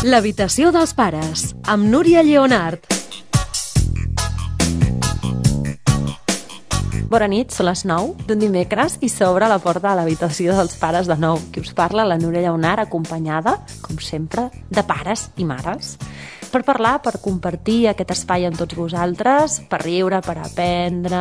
L'habitació dels pares, amb Núria Lleonart. Bona nit, són les 9 d'un dimecres i s'obre la porta de l'habitació dels pares de nou. Qui us parla, la Núria Lleonart, acompanyada, com sempre, de pares i mares. Per parlar, per compartir aquest espai amb tots vosaltres, per riure, per aprendre,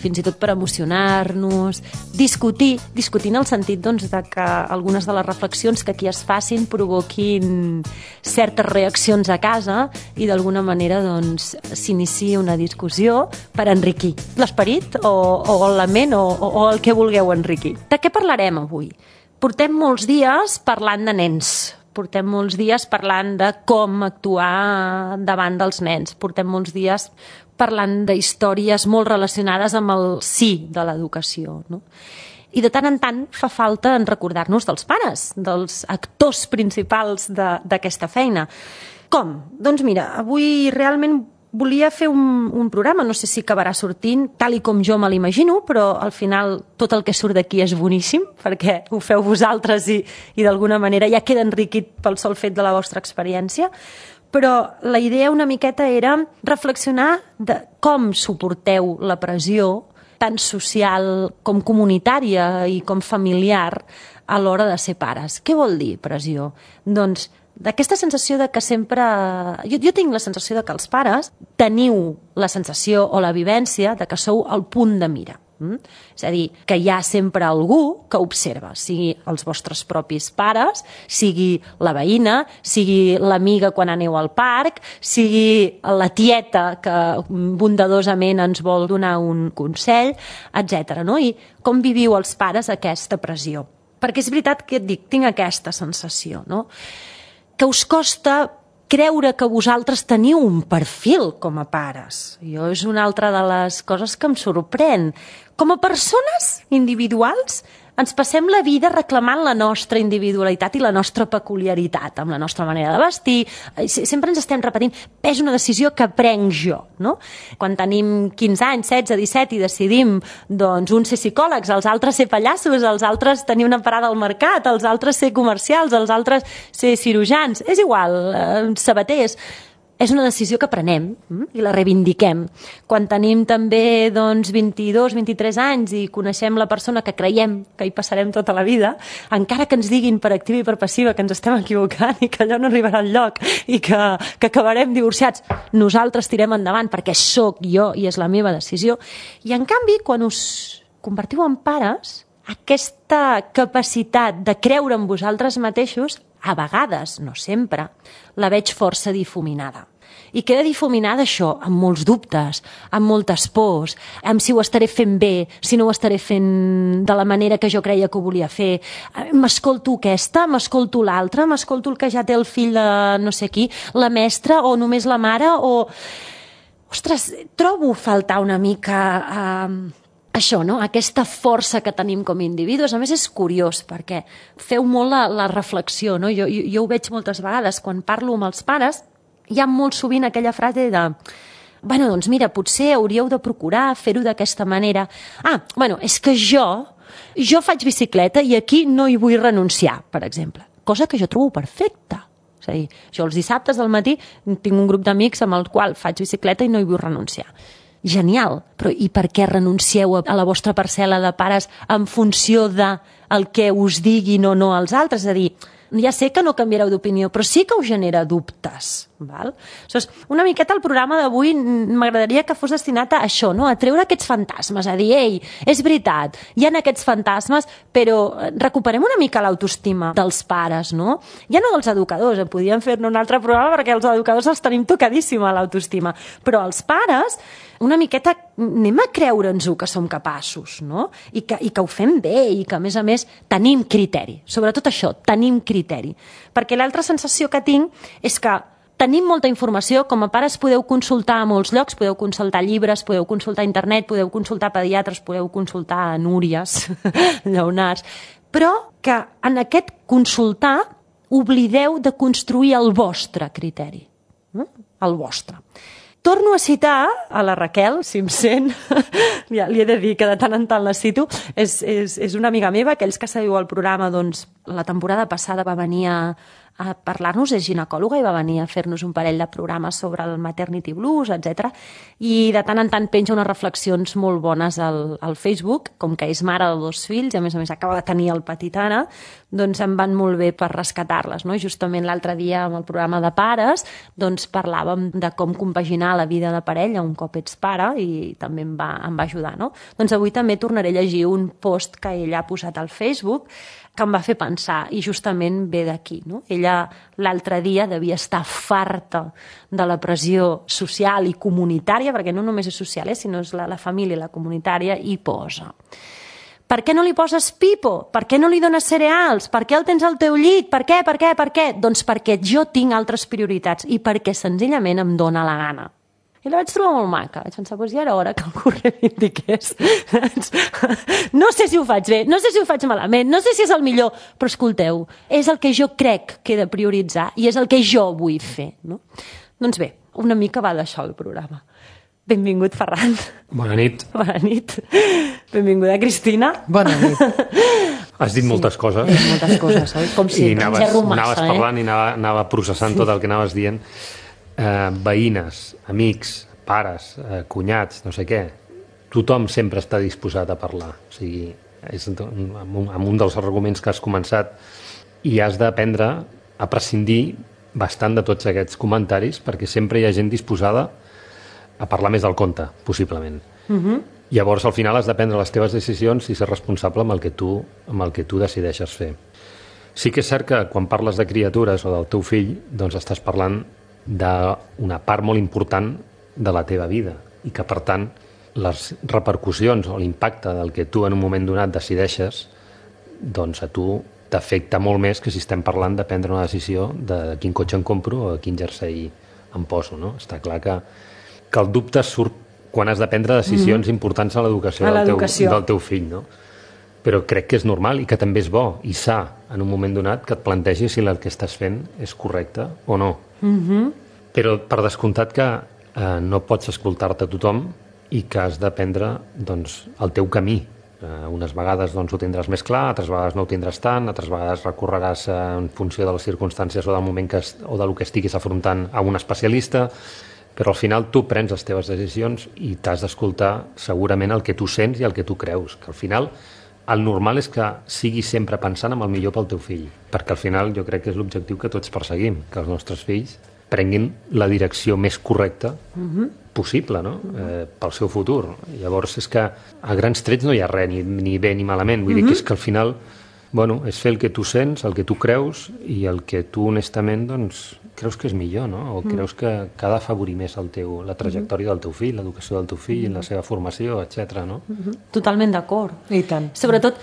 fins i tot per emocionar-nos, discutir en el sentit doncs, de que algunes de les reflexions que aquí es facin provoquin certes reaccions a casa i d'alguna manera doncs, s'iniciï una discussió per enriquir l'esperit o la ment o el que vulgueu enriquir. De què parlarem avui? Portem molts dies parlant de nens. Portem molts dies parlant de com actuar davant dels nens. Portem molts dies parlant d'històries molt relacionades amb el sí de l'educació, no? I de tant en tant fa falta en recordar-nos dels pares, dels actors principals d'aquesta feina. Com? Doncs mira, avui realment volia fer un programa, no sé si acabarà sortint tal i com jo me l'imagino, però al final tot el que surt d'aquí és boníssim, perquè ho feu vosaltres i d'alguna manera ja queda enriquit pel sol fet de la vostra experiència. Però la idea una miqueta era reflexionar de com suporteu la pressió tant social com comunitària i com familiar a l'hora de ser pares. Què vol dir pressió? Doncs d'aquesta sensació de que sempre... Jo tinc la sensació de que els pares teniu la sensació o la vivència de que sou al punt de mira. És a dir, que hi ha sempre algú que observa, sigui els vostres propis pares, sigui la veïna, sigui l'amiga quan aneu al parc, sigui la tieta que bondadosament ens vol donar un consell, etc. No? I com viviu els pares aquesta pressió? Perquè és veritat que et dic, tinc aquesta sensació, no? Que us costa creure que vosaltres teniu un perfil com a pares. Jo és una altra de les coses que em sorprèn. Com a persones individuals ens passem la vida reclamant la nostra individualitat i la nostra peculiaritat, amb la nostra manera de vestir. Sempre ens estem repetint, és una decisió que prenc jo, no? Quan tenim 15 anys, 16, 17 i decidim, doncs, uns ser psicòlegs, els altres ser pallassos, els altres tenir una parada al mercat, els altres ser comercials, els altres ser cirurgians, és igual, sabaters. És una decisió que prenem i la reivindiquem. Quan tenim també 22, 23 anys i coneixem la persona que creiem que hi passarem tota la vida, encara que ens diguin per activa i per passiva que ens estem equivocant i que allò no arribarà enlloc i que acabarem divorciats, nosaltres tirem endavant perquè sóc jo i és la meva decisió. I en canvi, quan us convertiu en pares, aquesta capacitat de creure en vosaltres mateixos, a vegades, no sempre, la veig força difuminada. I queda difuminada això, amb molts dubtes, amb moltes pors, amb si ho estaré fent bé, si no ho estaré fent de la manera que jo creia que ho volia fer. M'escolto aquesta, m'escolto l'altra, m'escolto el que ja té el fill de no sé qui, la mestra o només la mare o... Ostres, trobo faltar una mica... Això, no? Aquesta força que tenim com a individus. A més, és curiós, perquè feu molt la reflexió, no? Jo ho veig moltes vegades. Quan parlo amb els pares, hi ha molt sovint aquella frase de bueno, doncs mira, potser hauríeu de procurar fer-ho d'aquesta manera. És que jo faig bicicleta i aquí no hi vull renunciar, per exemple. Cosa que jo trobo perfecta. És a dir, jo els dissabtes al matí tinc un grup d'amics amb el qual faig bicicleta i no hi vull renunciar. Genial, però i per què renuncieu a la vostra parcel·la de pares en funció del que us diguin o no als altres? És a dir, ja sé que no canviareu d'opinió, però sí que us genera dubtes. Val? Aleshores, una miqueta el programa d'avui m'agradaria que fos destinat a això, no? A treure aquests fantasmes, a dir, ei, és veritat, hi ha aquests fantasmes, però recuperem una mica l'autoestima dels pares, no? Ja no dels educadors, podríem fer-ne un altre programa perquè els educadors els tenim tocadíssima l'autoestima, però els pares una miqueta anem a creure'ns-ho que som capaços, no? I que ho fem bé i que, a més, tenim criteri. Sobretot això, tenim criteri. Perquè l'altra sensació que tinc és que tenim molta informació, com a pares podeu consultar a molts llocs, podeu consultar llibres, podeu consultar internet, podeu consultar pediatres, podeu consultar núries, lleonars, però que en aquest consultar oblideu de construir el vostre criteri, el vostre. Torno a citar a la Raquel, si em sent, ja li he de dir que de tant en tant la cito, és una amiga meva, aquells que seguiu el programa doncs la temporada passada va venir a parlar-nos, és ginecòloga i va venir a fer-nos un parell de programes sobre el maternity blues, etc. I de tant en tant penja unes reflexions molt bones al Facebook, com que és mare de 2 fills, i a més acaba de tenir el petit ara, doncs em van molt bé per rescatar-les, no? Justament l'altre dia amb el programa de pares doncs parlàvem de com compaginar la vida de parella un cop ets pare i també em va ajudar, no? Doncs avui també tornaré a llegir un post que ella ha posat al Facebook que em va fer pensar, i justament ve d'aquí, no? Ella l'altre dia devia estar farta de la pressió social i comunitària, perquè no només és social, sinó és la família, la comunitària, i posa: per què no li poses pipo? Per què no li dones cereals? Per què el tens al teu llit? Per què? Doncs perquè jo tinc altres prioritats i perquè senzillament em dóna la gana. I la vaig trobar molt maca. Vaig pensar, ja era hora que algú reivindiqués. No sé si ho faig bé, no sé si ho faig malament, no sé si és el millor, però escolteu, és el que jo crec que he de prioritzar i és el que jo vull fer, no? Doncs bé, una mica va d'això el programa. Benvingut, Ferran. Bona nit. Bona nit. Benvinguda, Cristina. Bona nit. Has dit moltes coses. Moltes coses, oi? Com si anaves parlant i anava processant tot el que anaves dient. Veïnes, amics, pares, cunyats, no sé què, tothom sempre està disposat a parlar. O sigui, és amb un dels arguments que has començat, i has d'aprendre a prescindir bastant de tots aquests comentaris perquè sempre hi ha gent disposada a parlar més del compte, possiblement. Llavors, al final, has de prendre les teves decisions i ser responsable amb el que tu decideixes fer. Sí que és cert que quan parles de criatures o del teu fill, doncs estàs parlant d'una part molt important de la teva vida i que, per tant, les repercussions o l'impacte del que tu en un moment donat decideixes, doncs a tu t'afecta molt més que si estem parlant de prendre una decisió de quin cotxe em compro o quin jersei em poso, no? Està clar que el dubte surt quan has de prendre decisions importants a l'educació del teu fill, no? Però crec que és normal i que també és bo i sa en un moment donat que et plantegis si el que estàs fent és correcte o no. Però per descomptat que no pots escoltar-te a tothom i que has de prendre doncs, el teu camí. Unes vegades doncs, ho tindràs més clar, altres vegades no ho tindràs tant, altres vegades recorreràs en funció de les circumstàncies o del moment o del que estiguis afrontant a un especialista, però al final tu prens les teves decisions i t'has d'escoltar segurament el que tu sents i el que tu creus, que al final el normal és que siguis sempre pensant en el millor pel teu fill, perquè al final jo crec que és l'objectiu que tots perseguim, que els nostres fills prenguin la direcció més correcta possible, no? Pel seu futur. Llavors és que a grans trets no hi ha res, ni bé ni malament, vull dir que és que al final és fer el que tu sents, el que tu creus i el que tu honestament doncs, creus que és millor, no? O creus que ha d'afavorir més la trajectòria del teu fill, l'educació del teu fill, la seva formació, etc. no? Totalment d'acord. I tant. Sobretot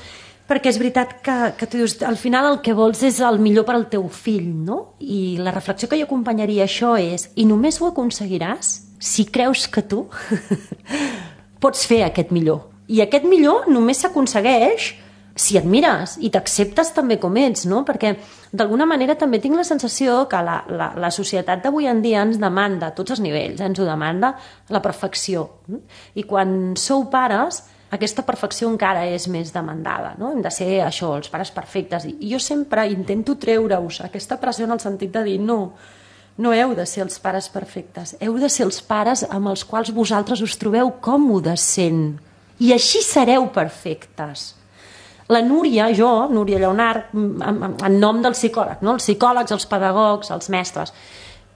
perquè és veritat que tu dius, al final el que vols és el millor per al teu fill, no? I la reflexió que jo acompanyaria això és, i només ho aconseguiràs si creus que tu pots fer aquest millor. I aquest millor només s'aconsegueix si et mires i t'acceptes també com ets, no? Perquè d'alguna manera també tinc la sensació que la societat d'avui en dia ens demanda a tots els nivells, ens ho demanda la perfecció. I quan sou pares, aquesta perfecció encara és més demandada, no? Hem de ser això, els pares perfectes. I jo sempre intento treure-us aquesta pressió en el sentit de dir no heu de ser els pares perfectes, heu de ser els pares amb els quals vosaltres us trobeu còmodes sent. I així sereu perfectes. La Núria, Núria Lleonart, en nom del psicòleg, no? Els psicòlegs, els pedagogs, els mestres,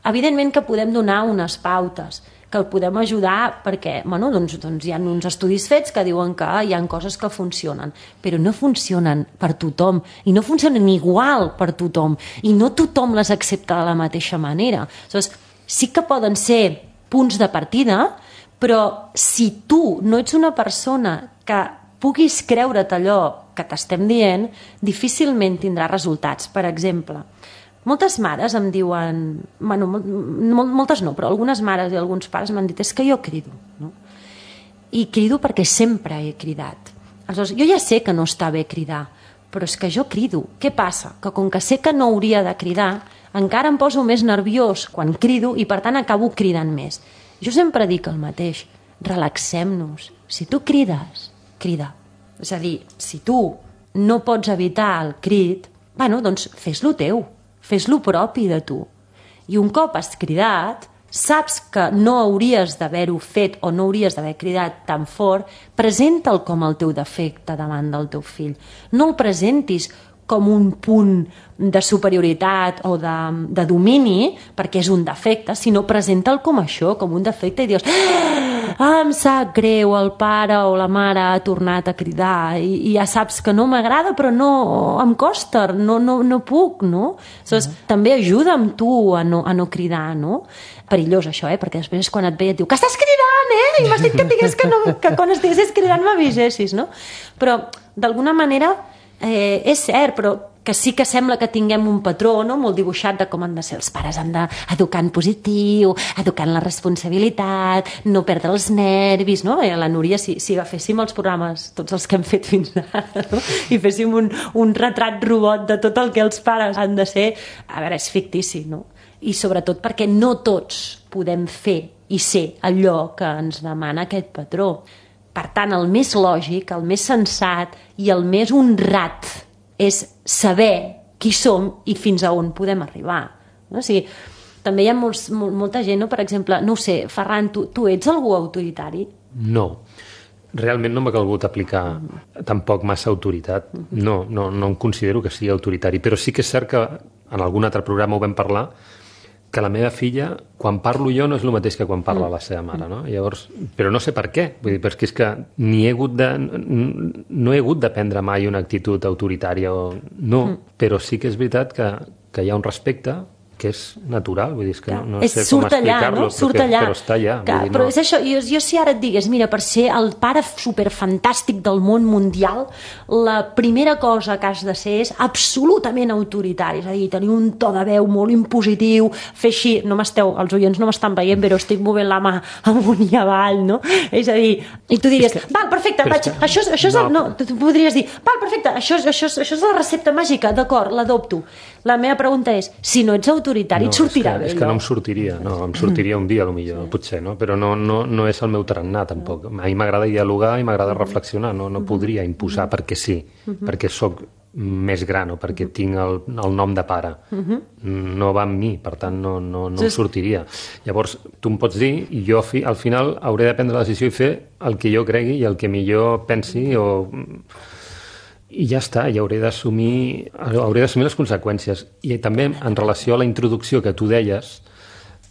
evidentment que podem donar unes pautes, que el podem ajudar perquè doncs hi ha uns estudis fets que diuen que hi ha coses que funcionen, però no funcionen per tothom i no funcionen igual per tothom i no tothom les accepta de la mateixa manera. Aleshores, sí que poden ser punts de partida, però si tu no ets una persona que puguis creure't allò que t'estem dient, difícilment tindrà resultats. Per exemple, moltes mares em diuen, moltes no, però algunes mares i alguns pares m'han dit, és que jo crido, no? I crido perquè sempre he cridat. Aleshores, jo ja sé que no està bé cridar, però és que jo crido. Què passa? Que com que sé que no hauria de cridar, encara em poso més nerviós quan crido i per tant acabo cridant més. Jo sempre dic el mateix, relaxem-nos. Si tu crides, crida. És a dir, si tu no pots evitar el crit, bueno, doncs fes-lo teu, fes-lo propi de tu. I un cop has cridat, saps que no hauries d'haver-ho fet o no hauries d'haver cridat tan fort, presenta'l com el teu defecte davant del teu fill. No el presentis com un punt de superioritat o de domini, perquè és un defecte, sinó presenta'l com això, com un defecte, i dius, em sap greu, el pare o la mare ha tornat a cridar, i ja saps que no m'agrada, però no, em costa, no puc, no? Aleshores, també ajuda'm tu a no cridar, no? Perillós això, perquè després quan et ve et diu que estàs cridant, i m'has dit que et digués que quan estiguessis cridant m'avisessis, no? Però, d'alguna manera, és cert, però que sí que sembla que tinguem un patró, no?, molt dibuixat de com han de ser els pares, han d'educar en positiu, educar en la responsabilitat, no perdre els nervis, no? La Núria, si agaféssim els programes, tots els que hem fet fins ara, no?, i féssim un retrat robot de tot el que els pares han de ser, a veure, és fictici, no? I sobretot perquè no tots podem fer i ser allò que ens demana aquest patró. Per tant, el més lògic, el més sensat i el més honrat és saber qui som i fins a on podem arribar. No? O sigui, també hi ha molta gent, no? Per exemple, no ho sé, Ferran, tu ets algú autoritari? No. Realment no m'ha calgut aplicar tampoc massa autoritat. No em considero que sigui autoritari, però sí que és cert que en algun altre programa ho vam parlar, que la meva filla, quan parlo jo, no és el mateix que quan parla la seva mare, no? Llavors, però no sé per què, vull dir, perquè és que no he hagut de prendre mai una actitud autoritària, però sí que és veritat que hi ha un respecte que és natural, vull dir, que no sé com explicar-lo, però està allà. Però és això, jo si ara et digués, mira, per ser el pare superfantàstic del món mundial, la primera cosa que has de ser és absolutament autoritari, és a dir, tenir un to de veu molt impositiu, fer així, els oients no m'estan veient, però estic movent la mà amunt i avall, no? És a dir, i tu diries, val, perfecte, això és tu podries dir, val, perfecte, això és la recepta màgica, d'acord, l'adopto. La meva pregunta és, si no ets autoritari, et sortirà bé? És que no em sortiria, em sortiria un dia, potser, potser, no? Però no és el meu tarannà, tampoc. A mi m'agrada dialogar i m'agrada reflexionar, no podria imposar perquè sí, perquè sóc més gran o perquè tinc el nom de pare. No va amb mi, per tant no em sortiria. Llavors, tu em pots dir, i jo al final hauré de prendre la decisió i fer el que jo cregui i el que millor pensi i ja està, i hauré d'assumir les conseqüències. I també en relació a la introducció que tu deies,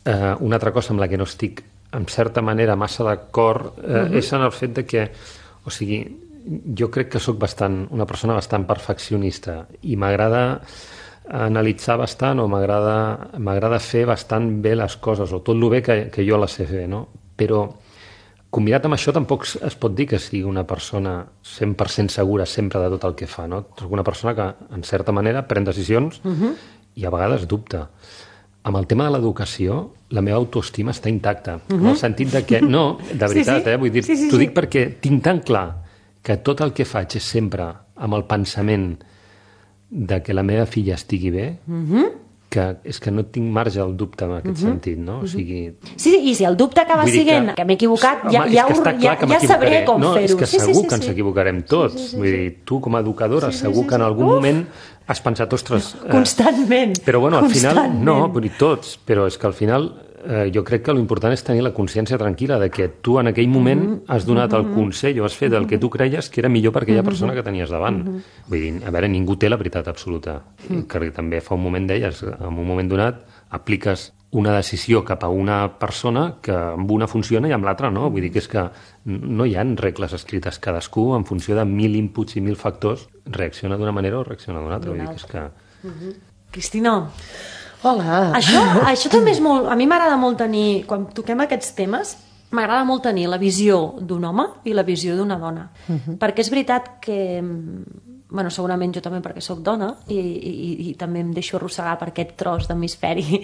una altra cosa amb la que no estic en certa manera massa d'acord és en el fet de que, o sigui, jo crec que sóc una persona bastant perfeccionista i m'agrada analitzar bastant o m'agrada fer bastant bé les coses o tot el bé que jo les sé fer, no? Però combinat amb això tampoc es pot dir que sigui una persona 100% segura sempre de tot el que fa, no? És una persona que, en certa manera, pren decisions i a vegades dubta. Amb el tema de l'educació, la meva autoestima està intacta, en el sentit de que, no, de veritat, vull dir, t'ho dic perquè tinc tan clar que tot el que faig és sempre amb el pensament de que la meva filla estigui bé, que és que no tinc marge al dubte en aquest sentit, no? O sigui... Sí, i si el dubte acaba sent que m'he equivocat, ja sabré com fer-ho. És que segur que ens equivocarem tots. Vull dir, tu com a educadora segur que en algun moment has pensat, ostres... Constantment. Però bueno, al final, no, vull dir, tots, però és que al final jo crec que l'important és tenir la consciència tranquil·la de que tu en aquell moment has donat el consell o has fet el que tu creies que era millor per aquella persona que tenies davant. Vull dir, a veure, ningú té la veritat absoluta. Que també fa un moment deies, en un moment donat apliques una decisió cap a una persona que amb una funciona i amb l'altra no. Vull dir que és que no hi ha regles escrites. Cadascú, en funció de 1.000 inputs i 1.000 factors, reacciona d'una manera o reacciona d'una altra. Vull dir que és que... Cristina... Hola. Això també és molt... A mi m'agrada molt tenir... Quan toquem aquests temes, m'agrada molt tenir la visió d'un home i la visió d'una dona. Perquè és veritat que... Bueno, segurament jo també perquè sóc dona i també em deixo arrossegar per aquest tros d'hemisferi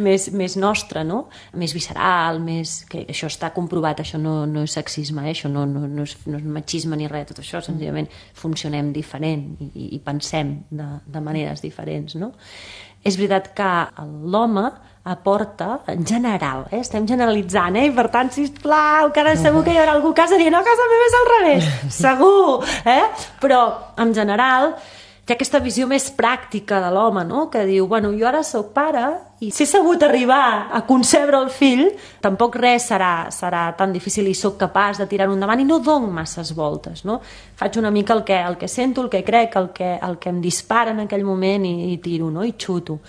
més nostre, no? Més visceral, que això està comprovat, això no és sexisme, això no és machisme ni res, tot això, senzillament funcionem diferent i pensem de maneres diferents, no? És veritat que l'home aporta, en general, estem generalitzant, i per tant, sisplau, que ara segur que hi haurà algú a casa dient, no, a casa meva és al revés, segur, però en general Té aquesta visió més pràctica de l'home, no? Que diu, bueno, jo ara sóc pare i si he sabut arribar a concebre el fill, tampoc res serà tan difícil i sóc capaç de tirar-ho endavant i no dono masses voltes, no? Faig una mica el que sento, el que crec, el que em dispara en aquell moment i tiro, no? I xuto.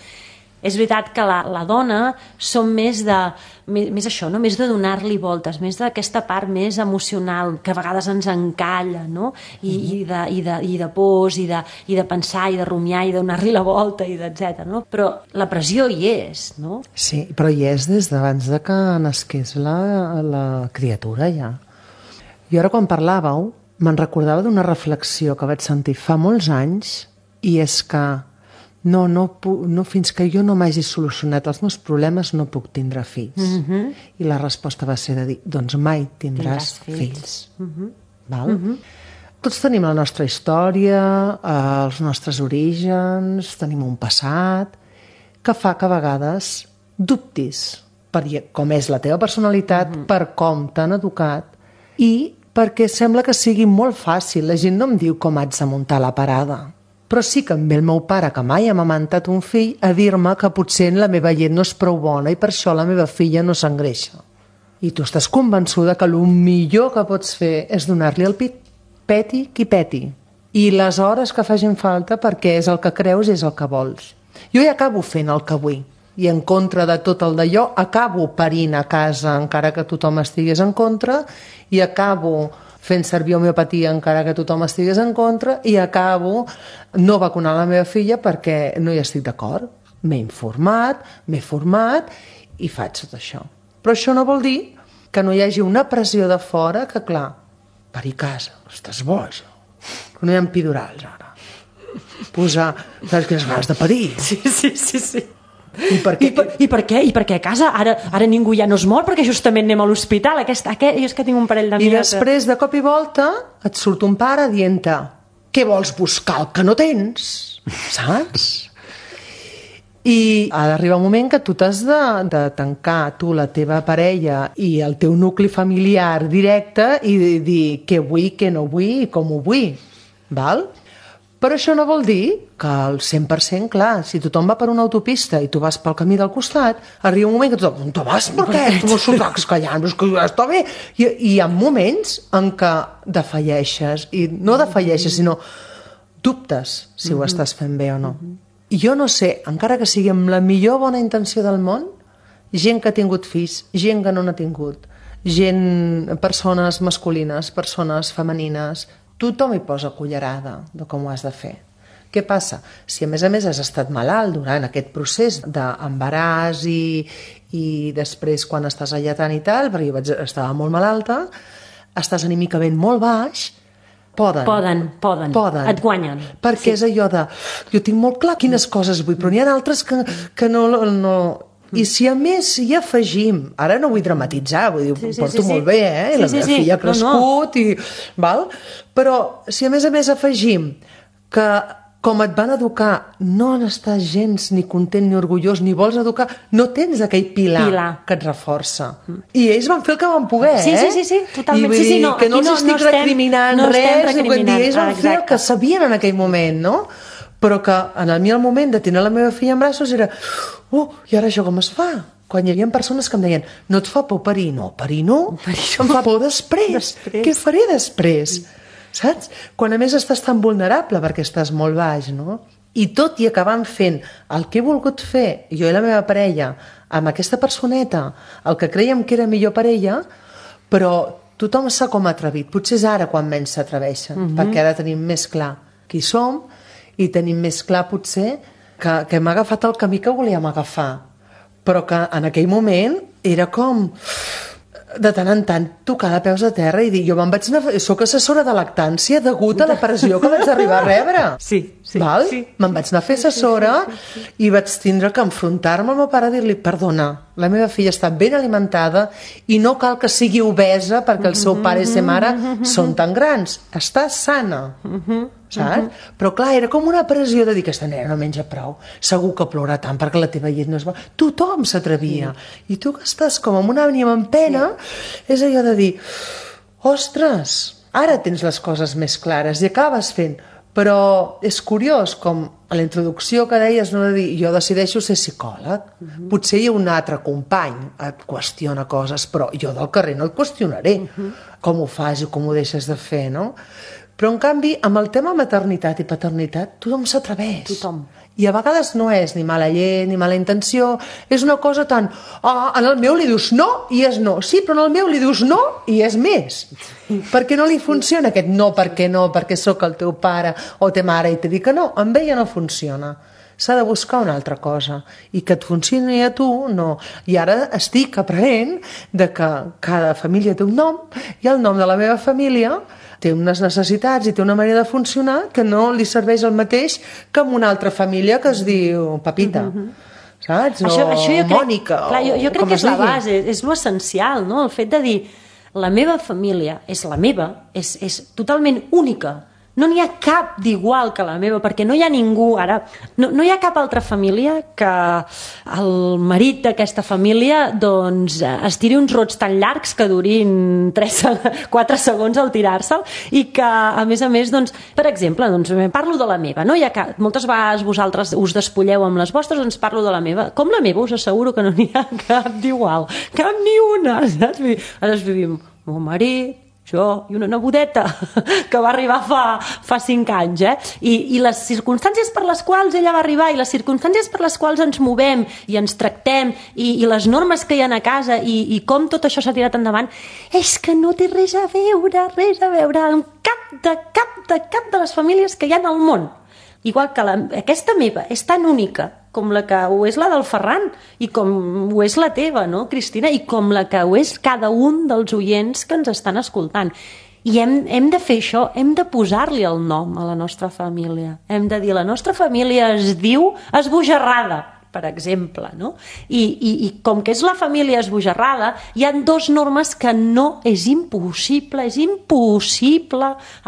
És veritat que la dona som més això, no? Més de donar-li voltes, més d'aquesta part més emocional, que a vegades ens encalla, no? I de pors, i de pensar, i de rumiar, i de donar-li la volta, i etc. No? Però la pressió hi és, no? Sí, però hi és des d'abans de que nasqués la criatura, ja. Jo ara, quan parlàveu, me'n recordava d'una reflexió que vaig sentir fa molts anys, i és que no, fins que jo no m'hagi solucionat els meus problemes no puc tindre fills. I la resposta va ser de dir, doncs mai tindràs fills. Val? Tots tenim la nostra història, els nostres orígens, tenim un passat, que fa que a vegades dubtis per com és la teva personalitat, per com t'han educat, i perquè sembla que sigui molt fàcil. La gent no em diu com haig de muntar la parada. Però sí que em ve el meu pare, que mai ha amamantat un fill, a dir-me que potser la meva llet no és prou bona i per això la meva filla no s'engreixa. I tu estàs convençuda que el millor que pots fer és donar-li el pit. Peti qui peti. I les hores que facin falta, perquè és el que creus i és el que vols. Jo ja acabo fent el que vull. I en contra de tot el d'allò, acabo parint a casa encara que tothom estigués en contra, i acabo fent servir homeopatia encara que tothom estigués en contra, i acabo no vacunant la meva filla perquè no hi estic d'acord. M'he informat, m'he format i faig tot això. Però això no vol dir que no hi hagi una pressió de fora que, clar, parir a casa, estàs boig, que no hi ha epidurals ara. Posar, saps quines ganes de parir? Sí. I per què? I per què a casa? Ara ningú ja no es mor perquè justament anem a l'hospital. Jo és que tinc un parell d'amics. I després, de cop i volta, et surt un pare dient-te què vols buscar el que no tens? Saps? I ha d'arribar un moment que tu t'has de tancar tu, la teva parella i el teu nucli familiar directe i dir què vull, què no vull i com ho vull. Val? Però això no vol dir que al 100%, clar, si tothom va per una autopista i tu vas pel camí del costat, arriba un moment que tothom, on te vas per què? Tu no sotacs callant, és que ja està bé. I hi ha moments en què defalleixes, i no defalleixes, sinó dubtes si ho estàs fent bé o no. I jo no sé, encara que sigui amb la millor bona intenció del món, gent que ha tingut fills, gent que no n'ha tingut, persones masculines, persones femenines, tothom hi posa cullerada de com ho has de fer. Què passa? Si a més has estat malalt durant aquest procés d'embaràs i després quan estàs alletant i tal, perquè jo estava molt malalta, estàs anímicament molt baix, poden. Et guanyen. Perquè és allò de, jo tinc molt clar quines coses vull, però n'hi ha altres que no. I si a més hi afegim, ara no vull dramatitzar, vull dir, porto molt bé, i la meva filla ha crescut, val? Però si a més afegim que com et van educar no n'estàs gens ni content ni orgullós ni vols educar, no tens aquell pilar que et reforça. I ells van fer el que van poder, Sí, totalment. I vull dir que no els estic recriminant res, ells van fer el que sabien en aquell moment, no? Però que en el moment de tenir la meva filla en braços era i ara això com es fa? Quan hi havia persones que em deien no et fa por parir? No, parir no. Em fa por després. Què faré després? Saps? Quan a més estàs tan vulnerable perquè estàs molt baix, no? I tot i acabant fent el que he volgut fer jo i la meva parella amb aquesta personeta, el que creiem que era millor per ella, però tothom s'ha com atrevit. Potser és ara quan menys s'atreveixen, perquè ara tenim més clar qui som i tenim més clar potser que hem agafat el camí que volíem agafar, però que en aquell moment era com de tant en tant tocar de peus a terra i dir, jo me'n vaig anar, soc assessora de lactància degut a la pressió que vaig arribar a rebre. Sí. Me'n vaig anar a fer assessora i vaig tindre que enfrontar-me al meu pare i dir-li, perdona, la meva filla està ben alimentada i no cal que sigui obesa perquè el seu pare i sa mare són tan grans, està sana. Saps? Però clar, era com una pressió de dir que aquesta nena no menja prou, segur que plora tant perquè la teva llet no és bona. Tothom s'atrevia. I tu que estàs com amb una ànima en pena, és allò de dir, ostres, ara tens les coses més clares i acabes fent, Però és curiós com a la introducció que deies, no, de dir, jo decideixo ser psicòleg. Potser hi ha un altre company et qüestiona coses, però jo del carrer no et qüestionaré com ho fas i com ho deixes de fer, no? Però, en canvi, amb el tema maternitat i paternitat, tothom s'atreveix. Tothom. I a vegades no és ni mala llet, ni mala intenció, és una cosa tan... en el meu li dius no i és no. Sí, però en el meu li dius no i és més. Perquè no li funciona aquest no, perquè sóc el teu pare o te mare i te dic que no, amb ella no funciona. S'ha de buscar una altra cosa. I que et funcioni a tu, no. I ara estic aprenent de que cada família té un nom i el nom de la meva família té unes necessitats i té una manera de funcionar que no li serveix el mateix que amb una altra família que es diu Pepita. Saps? Això jo Mònica. Crec, jo crec que és la base, és l'essencial, no? El fet de dir la meva família és la meva, és totalment única. No n'hi ha cap d'igual que la meva, perquè no hi ha ningú, ara, no hi ha cap altra família que el marit d'aquesta família doncs es tiri uns rots tan llargs que durin 4 segons al tirar-se'l i que, a més, doncs, per exemple, doncs, parlo de la meva, no hi ha cap, moltes vegades vosaltres us despulleu amb les vostres, doncs parlo de la meva. Com la meva us asseguro que no n'hi ha cap d'igual, cap ni una, saps? Ara vivim el marit, jo i una nebodeta que va arribar fa 5 anys, I les circumstàncies per les quals ella va arribar i les circumstàncies per les quals ens movem i ens tractem i les normes que hi ha a casa i com tot això s'ha tirat endavant, és que no té res a veure amb cap de les famílies que hi ha al món. Igual que aquesta meva és tan única com la que ho és la del Ferran i com ho és la teva, no, Cristina? I com la que ho és cada un dels oients que ens estan escoltant. I hem de fer això, hem de posar-li el nom a la nostra família. Hem de dir, la nostra família es diu Esbojarrada, per exemple, no? I com que és la família esbojarrada, hi ha 2 normes que no és impossible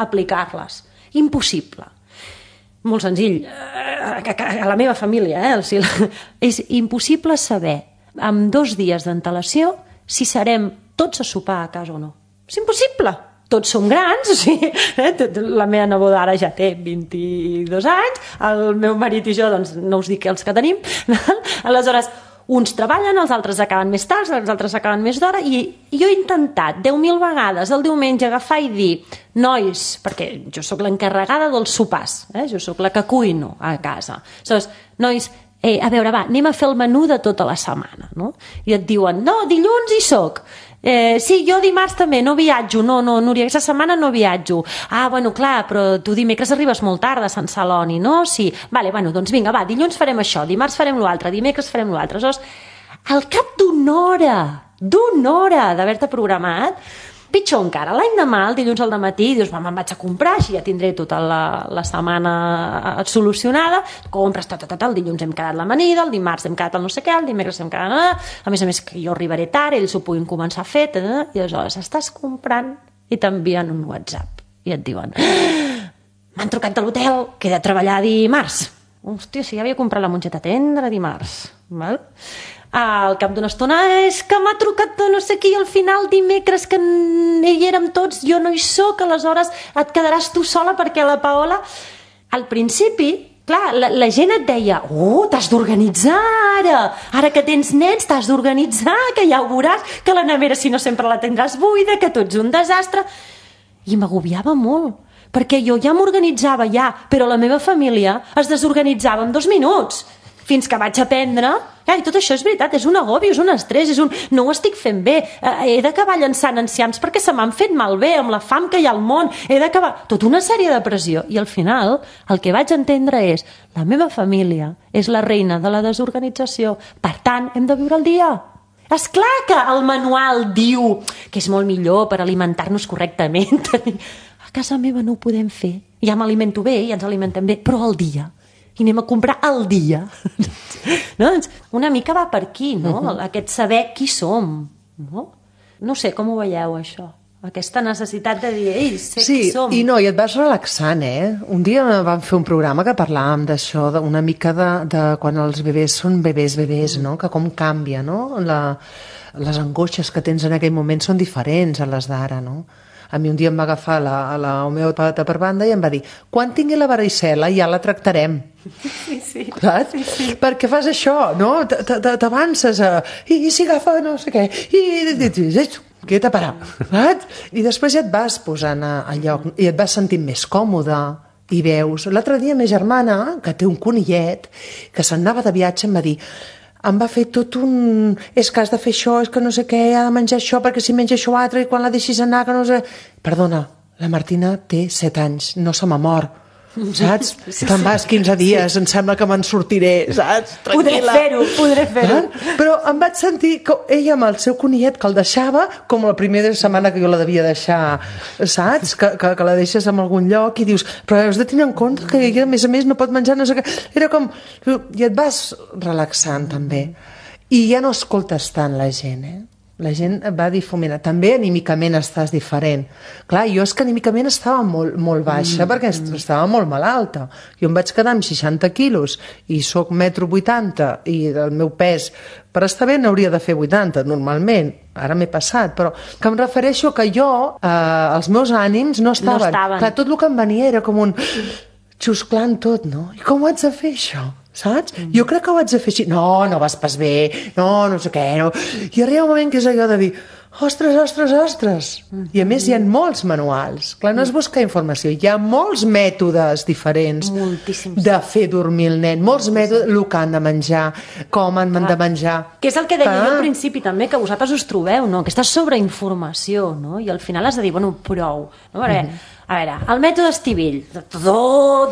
aplicar-les. Impossible. Molt senzill, a la meva família, és impossible saber amb 2 dies d'antelació si serem tots a sopar a casa o no. És impossible. Tots som grans, o sigui, la meva neboda ara ja té 22 anys, el meu marit i jo, doncs, no us dic els que tenim, aleshores, uns treballen, els altres acaben més tard, els altres acaben més d'hora, i jo he intentat 10.000 vegades el diumenge agafar i dir, nois, perquè jo sóc l'encarregada dels sopars, jo sóc la que cuino a casa, aleshores, nois, a veure, va, anem a fer el menú de tota la setmana, no? I et diuen, no, dilluns hi soc, sí, jo dimarts també, no viatjo, no, Núria, aquesta setmana no viatjo. Ah, bueno, clar, però tu dimecres arribes molt tard de Sant Celoni, no? Sí, vale, bueno, doncs vinga, va, dilluns farem això, dimarts farem l'altre, dimecres farem l'altre. Aleshores, al cap d'una hora d'haver-te programat, pitjor encara, l'any demà, el dilluns al dematí, dius, me'n vaig a comprar, així ja tindré tota la setmana solucionada, compres tot, el dilluns hem quedat l'amanida, el dimarts hem quedat el no sé què, el dimecres hem quedat... A més que jo arribaré tard, ells ho puguin començar a fer, i aleshores estàs comprant i t'envien un WhatsApp i et diuen, m'han trucat de l'hotel, que he de treballar dimarts. Hòstia, si ja havia comprat la mongeta tendra dimarts, val? Al cap d'una estona, és que m'ha trucat de no sé qui, al final dimecres que hi érem tots, jo no hi soc, aleshores et quedaràs tu sola perquè la Paola... Al principi, clar, la gent et deia, t'has d'organitzar ara que tens nens, t'has d'organitzar, que ja ho veuràs, que la nevera si no sempre la tindràs buida, que tu ets un desastre... I m'agobiava molt, perquè jo ja m'organitzava però la meva família es desorganitzava en 2 minuts. Fins que vaig aprendre, i tot això és veritat, és un agobi, és un estrès, no ho estic fent bé, he d'acabar llançant enciams perquè se m'han fet malbé amb la fam que hi ha al món, he d'acabar... Tota una sèrie de pressió, i al final el que vaig entendre és la meva família és la reina de la desorganització, per tant, hem de viure el dia. És clar que el manual diu que és molt millor per alimentar-nos correctament. A casa meva no ho podem fer, ja m'alimento bé, ja ens alimentem bé, però al dia. I anem a comprar al dia. No? Una mica va per aquí, no? Aquest saber qui som. No sé, com ho veieu, això? Aquesta necessitat de dir, ei, sé qui som. Sí, i et vas relaxant, Un dia vam fer un programa que parlàvem d'això, una mica de quan els bebès són bebès, no? Que com canvia, no? Les angoixes que tens en aquell moment són diferents a les d'ara, no? A mi un dia em va agafar la homeòpata per banda i em va dir, quan tingui la varicel·la ja la tractarem. Sí. Saps? Sí. Perquè fas això, no? T'avances a... I si agafa no sé què... Quieta, parar. Saps? I després ja et vas posant a lloc i et vas sentint més còmode i veus. L'altre dia ma germana, que té un conillet, que se'n anava de viatge, em va dir, em va fer tot un... És que has de fer això, és que no sé què, ha de menjar això, perquè si menja això altre, i quan la deixis anar, que no sé... Perdona, la Martina té 7 anys, no se m'ha mort. Saps? Te'n vas 15 dies, em sembla que me'n sortiré, saps? Tranquil·la. Podré fer-ho. Però em vaig sentir que ella amb el seu conillet que el deixava, com la primera setmana que jo la devia deixar, saps? Que la deixes en algun lloc i dius, però has de tenir en compte que ella, a més, no pot menjar no sé què. Era com... I et vas relaxant, també. I ja no escoltes tant la gent, La gent va difuminar. També anímicament estàs diferent. Clar, jo és que anímicament estava molt baixa perquè estava molt malalta. Jo em vaig quedar amb 60 quilos i soc 1,80 m i el meu pes per estar bé n'hauria de fer 80 normalment. Ara m'he passat, però que em refereixo que jo, els meus ànims no estaven. Clar, tot el que em venia era com un xusclant tot, no? I com ho haig de fer, això? Saps? Jo crec que ho haig de fer així. No vas pas bé, no sé què, no. I arriba un moment que és allò de dir, ostres. I a més hi ha molts manuals. Clar, no és buscar informació, hi ha molts mètodes diferents de fer dormir el nen, molts mètodes, el que han de menjar, com han de menjar. Que és el que deia jo al principi també, que vosaltres us trobeu, no? Aquesta sobreinformació, no? I al final has de dir, bueno, prou. No? A veure, el mètode Estivill, tot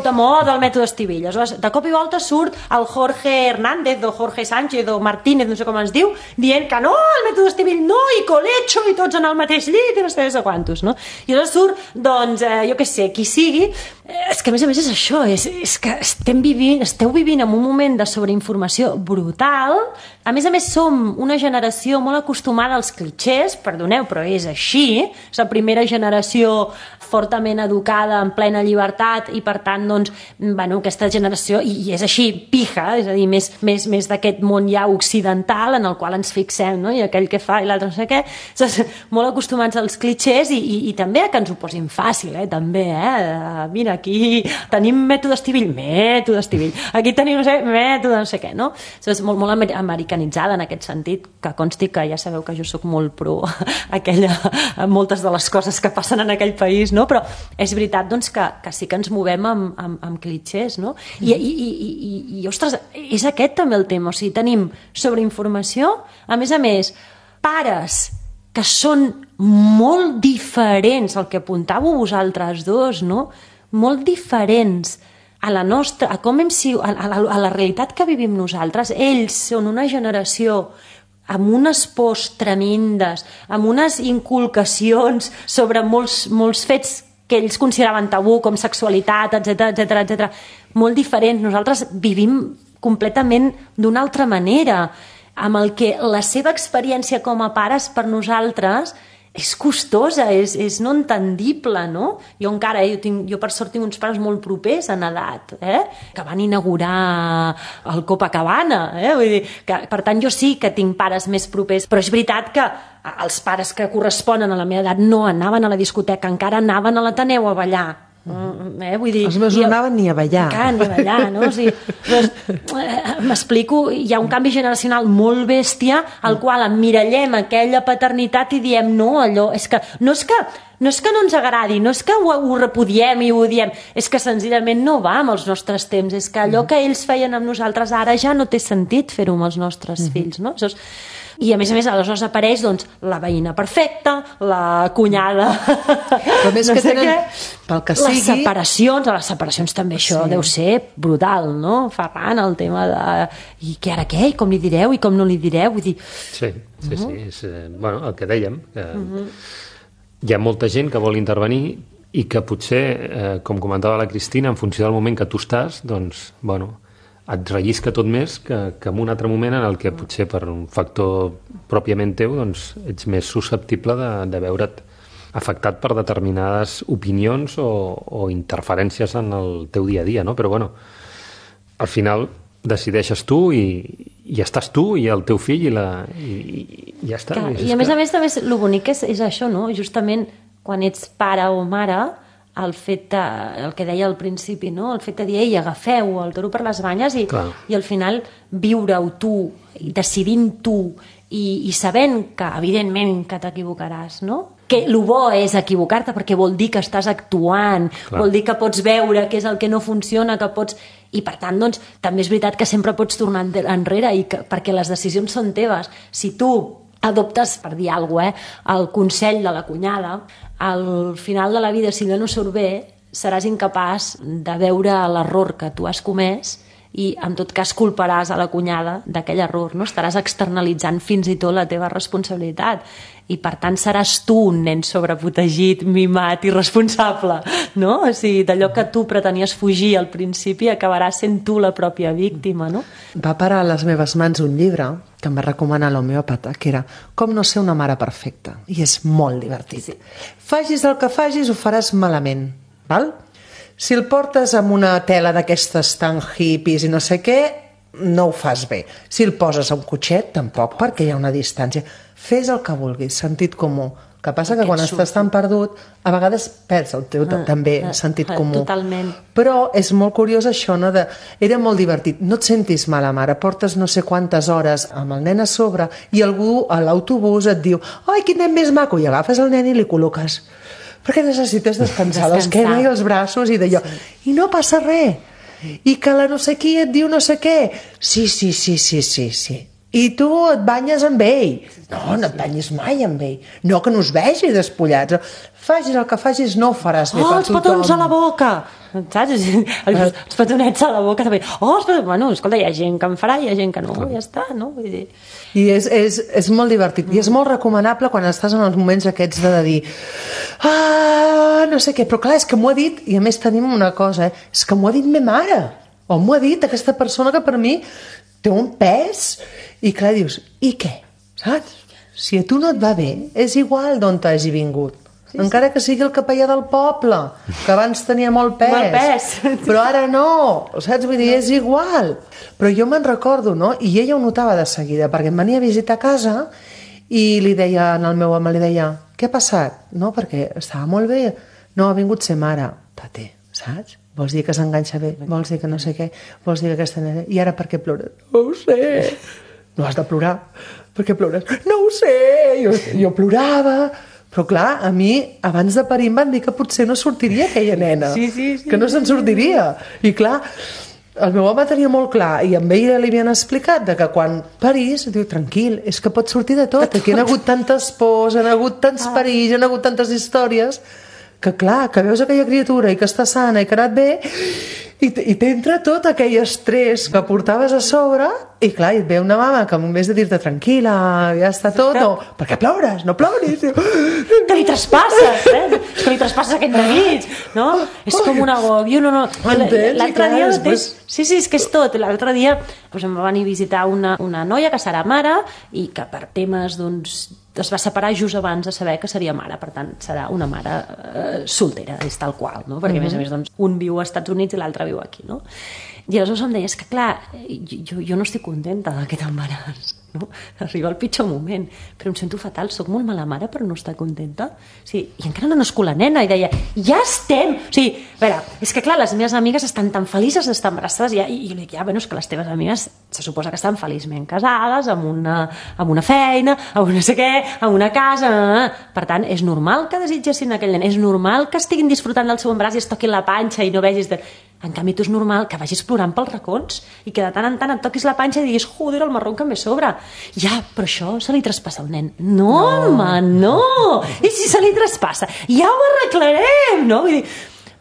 de moda el mètode Estivill. De cop i volta surt el Jorge Hernández o Jorge Sánchez o Martínez, no sé com es diu, dient que no, el mètode Estivill no, i colecho, i tots en el mateix llit, i no sé quantos, no? I llavors surt, doncs, jo què sé, qui sigui, és que a més és això, és que esteu vivint en un moment de sobreinformació brutal. A més som una generació molt acostumada als clichés, perdoneu, però és així, és la primera generació fortament educada, en plena llibertat, i per tant, doncs, bueno, aquesta generació, i és així, pija, és a dir, més d'aquest món ja occidental en el qual ens fixem, no? I aquell que fa i l'altre no sé què, molt acostumats als clichés i també a que ens ho posin fàcil, també, mira, aquí tenim mètode Estivill, aquí tenim, no sé, mètode no sé què, no? És molt americanitzada en aquest sentit, que consti que ja sabeu que jo sóc molt pro moltes de les coses que passen en aquell país, no? Però és veritat, doncs, que sí que ens movem amb clichés, no? I ostres, és aquest també el tema, o sigui, tenim sobreinformació, a més, pares que són molt diferents, el que apuntàveu vosaltres dos, no? Molt diferents a la nostra, a la realitat que vivim nosaltres. Ells són una generació amb unes pors tremendes, amb unes inculcacions sobre molts fets que ells consideraven tabú, com sexualitat, etc. Molt diferents. Nosaltres vivim completament d'una altra manera, amb el que la seva experiència com a pares per nosaltres és costosa, és no entendible, no? Jo encara, jo per sort tinc uns pares molt propers en edat, que van inaugurar el Copacabana, vull dir, que, per tant, jo sí que tinc pares més propers, però és veritat que els pares que corresponen a la meva edat no anaven a la discoteca, encara anaven a l'Ateneu a ballar. Vull dir, els meus no anaven ni a ballar. Ni a ballar, no? O sigui, m'explico, hi ha un canvi generacional molt bèstia al qual emmirallem aquella paternitat i diem no, allò, no és que no ens agradi, no és que ho repudiem i ho diem, és que senzillament no va amb els nostres temps, és que allò que ells feien amb nosaltres ara ja no té sentit fer-ho amb els nostres fills, no? I a més, aleshores apareix doncs, la veïna perfecta, la cunyada... Però més que tenen, pel que sigui... Les separacions també això deu ser brutal, no? Ferran, el tema de... I què ara què? I com li direu? I com no li direu? Vull dir... Sí, és el que dèiem, que hi ha molta gent que vol intervenir i que potser, com comentava la Cristina, en funció del moment que tu estàs, doncs, et rellisca tot més que en un altre moment en el que potser per un factor pròpiament teu doncs ets més susceptible de veure't afectat per determinades opinions o interferències en el teu dia a dia, no? Però al final decideixes tu i estàs tu i el teu fill i ja està. I a més també el bonic és això, no? Justament quan ets pare o mare, el fet de, el que deia al principi, no? El fet de dir, ei, agafeu el toro per les banyes i al final viure-ho tu, i decidint tu i sabent que, evidentment, que t'equivocaràs, no? Que el bo és equivocar-te perquè vol dir que estàs actuant, vol dir que pots veure què és el que no funciona, que pots... I per tant, doncs, també és veritat que sempre pots tornar enrere perquè les decisions són teves. Si tu adoptes, per dir alguna cosa, el consell de la cunyada, al final de la vida, si no surt bé, seràs incapaç de veure l'error que tu has comès i en tot cas culparàs a la cunyada d'aquell error, no? Estaràs externalitzant fins i tot la teva responsabilitat i per tant seràs tu un nen sobreprotegit, mimat i responsable, no? O sigui, d'allò que tu pretenies fugir al principi acabaràs sent tu la pròpia víctima, no? Va parar a les meves mans un llibre que em va recomanar l'homeòpata, que era Com no ser una mare perfecta, i és molt divertit. Facis el que facis, ho faràs malament, val? Si el portes amb una tela d'aquestes tan hippies i no sé què, no ho fas bé. Si el poses a un cotxet, tampoc, perquè hi ha una distància. Fes el que vulguis, sentit comú. El que passa que quan estàs tan perdut, a vegades perds el teu també sentit comú. Totalment. Però és molt curiós això, no? Era molt divertit. No et sentis mala mare, portes no sé quantes hores amb el nen a sobre i algú a l'autobús et diu ai, quin nen més maco, i agafes el nen i li col·loques perquè necessites descansar l'esquena i els braços i d'allò. I no passa res. I que la no sé qui et diu no sé què. Sí. I tu et banyes amb ell. No et banyis mai amb ell. No, que no us vegi despullats. Facis el que facis, no ho faràs bé per tothom. Els petons a la boca! Saps? Els petonets a la boca també. Bueno, escolta, hi ha gent que en farà, hi ha gent que no, ja està, no? Vull dir... I és molt divertit. I és molt recomanable quan estàs en els moments aquests de dir no sé què, però clar, és que m'ho ha dit, i a més tenim una cosa, és que m'ho ha dit ma mare, o m'ho ha dit aquesta persona que per mi té un pes, i clar, dius, i què? Saps? Si a tu no et va bé, és igual d'on t'hagi vingut. Encara que sigui el capellà del poble, que abans tenia molt pes. Però ara no, saps? Vull dir, és igual. Però jo me'n recordo, no? I ella ho notava de seguida, perquè em venia a visitar a casa i li deia al meu home, li deia, què ha passat? No, perquè estava molt bé. No, ha vingut ser mare. Tate, saps? Vols dir que s'enganxa bé? Vols dir que no sé què? Vols dir que aquesta nena... I ara per què plores? No ho sé. No has de plorar. Per què plores? No ho sé. Jo plorava... Però clar, a mi, abans de parir, em van dir que potser no sortiria aquella nena. Sí. Que no se'n sortiria. I clar, el meu home tenia molt clar, i amb ell li havien explicat de que quan parís, diu, tranquil, és que pot sortir de tot. Aquí han hagut tantes pors, han hagut tants perills, han hagut tantes històries, que clar, que veus aquella criatura i que està sana i que ha anat bé, i t'entra tot aquell estrès que portaves a sobre, i clar, et ve una mama que en vez de dir-te tranquil·la, ja està tot, o per què plores? No ploris! Que li traspasses, És que li traspasses aquest neguit, no? És com un agòbio, no. L'altre dia mateix... Sí, és que és tot. L'altre dia em va venir a visitar una noia que serà mare i que per temes, doncs, es va separar just abans de saber que seria mare, per tant, serà una mare soltera, és tal qual, no? Perquè, a més, doncs, un viu als Estats Units i l'altre viu aquí, no? I aleshores em deia, és que clar, jo no estic contenta d'aquest embaràs, no? Arriba el pitjor moment, però em sento fatal, soc molt mala mare per no estar contenta. I encara no nascut la nena, i deia, ja estem! A veure, és que clar, les meves amigues estan tan felices d'estar embarassades, i jo dic, bueno, és que les teves amigues se suposa que estan feliçment casades, amb una feina, amb no sé què, amb una casa... Per tant, és normal que desitgessin aquell nen, és normal que estiguin disfrutant del seu embaràs i es toquin la panxa i no vegis... En canvi, tu és normal que vagis plorant pels racons i que de tant en tant et toquis la panxa i diguis, joder, el marró que em ve sobre. Ja, però això se li traspassa al nen. No, home, no! I si se li traspassa? Ja ho arreglarem, no? Vull dir,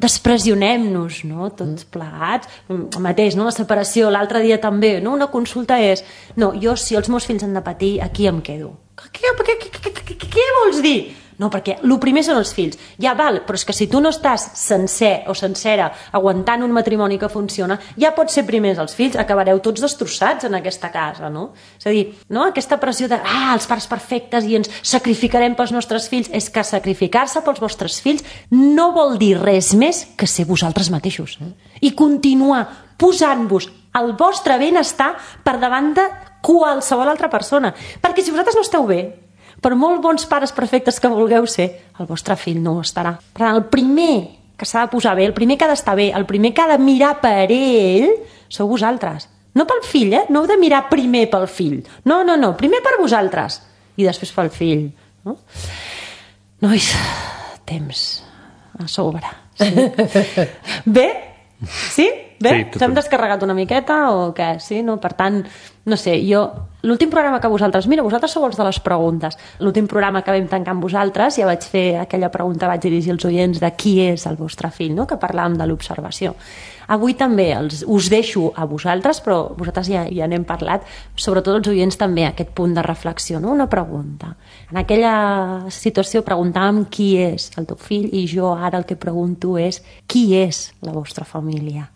despressionem-nos, no? Tots plegats. El mateix, no? La separació, l'altre dia també, no? Una consulta és, no, jo si els meus fills han de patir, aquí em quedo. Què vols dir? No, perquè el primer són els fills. Ja val, però és que si tu no estàs sencer o sencera aguantant un matrimoni que funciona, ja pot ser primers els fills, acabareu tots destrossats en aquesta casa, no? És a dir, no? Aquesta pressió de, els pares perfectes i ens sacrificarem pels nostres fills, és que sacrificar-se pels vostres fills no vol dir res més que ser vosaltres mateixos. I continuar posant-vos el vostre benestar per davant de qualsevol altra persona. Perquè si vosaltres no esteu bé, Per molt bons pares perfectes que vulgueu ser, el vostre fill no ho estarà. Per tant, el primer que s'ha de posar bé, el primer que ha d'estar bé, el primer que ha de mirar per ell, sou vosaltres. No pel fill, no heu de mirar primer pel fill. No, primer per vosaltres i després pel fill. No? Nois, temps a sobre. Sí. Bé? Sí? Bé? Sí, s'hem descarregat una miqueta o què? Sí? No? Per tant, no sé, jo... L'últim programa que vosaltres... Mira, vosaltres sou els de les preguntes. L'últim programa que vam tancar amb vosaltres ja vaig fer aquella pregunta, vaig dirigir als oients de qui és el vostre fill, no? Que parlàvem de l'observació. Avui també us deixo a vosaltres, però vosaltres ja n'hem parlat, sobretot els oients també, aquest punt de reflexió, no? Una pregunta. En aquella situació preguntàvem qui és el teu fill i jo ara el que pregunto és qui és la vostra família?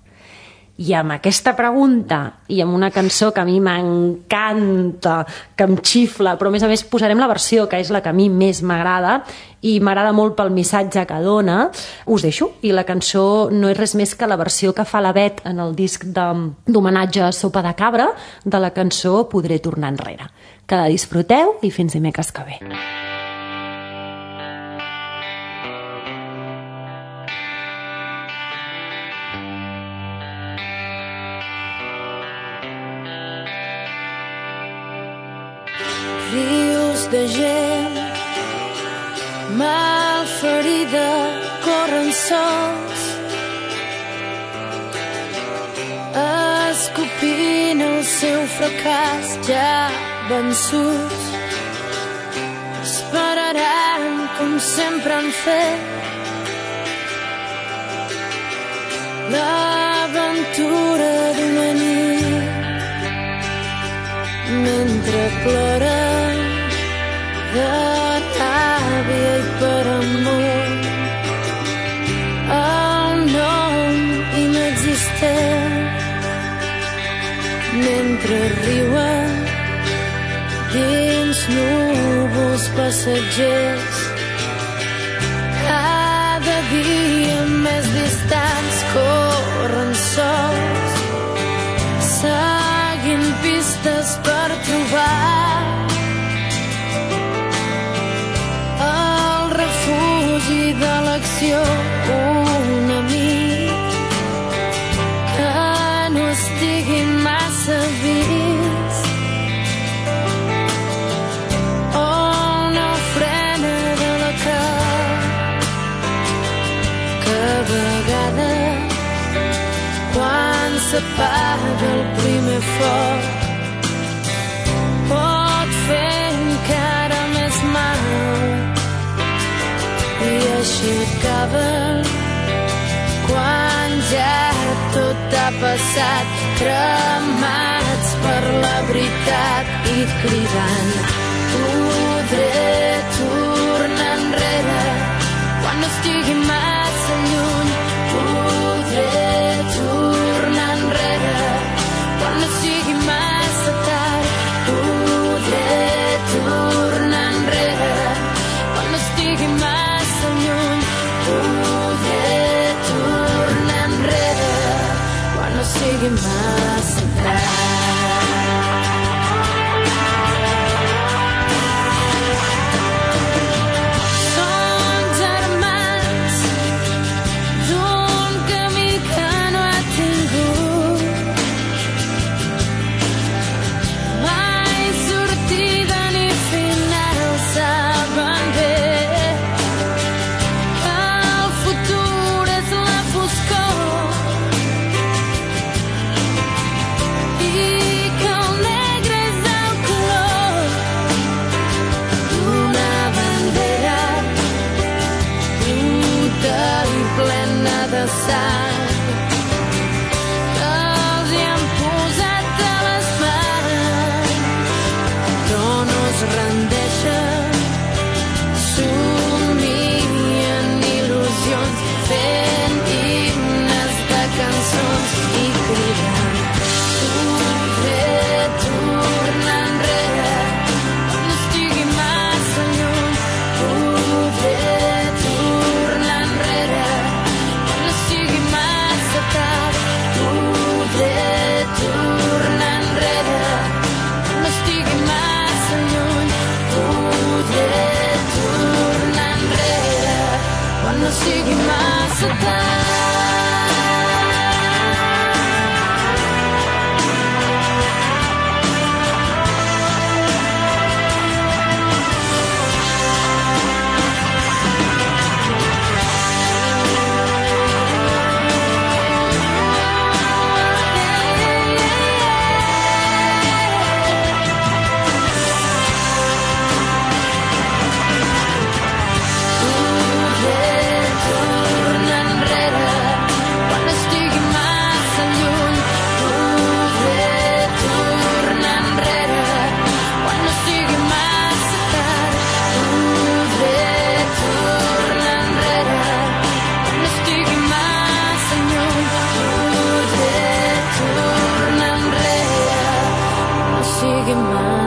I amb aquesta pregunta i amb una cançó que a mi m'encanta, que em xifla, però a més posarem la versió, que és la que a mi més m'agrada i m'agrada molt pel missatge que dona, us deixo. I la cançó no és res més que la versió que fa la Bet en el disc d'homenatge a Sopa de Cabra de la cançó Podré tornar enrere. Que la disfruteu i fins dimecres que ve. Rius de gent malferida corren sols escopint el seu fracàs ja vençuts. Esperaran com sempre han fet l'aventura d'una nit mentre ploren de ràbia i per amor el nom inexistent mentre riuen dins núvols passatgers cada dia més distants corren sols seguint pistes per trobar el refugi de l'acció, un amic que no estigui massa vist o una ofrena de la que a vegades quan s'apaga el primer foc pot fer encara més mal i així acaba quan ja tot ha passat cremats per la veritat i cridant podré tornar enrere quan no estigui massa lluny podré tornar enrere quan no sigui massa tard podré tornar enrere quan no estigui massa lluny podré tornar enrere quan no sigui massa tard. que mai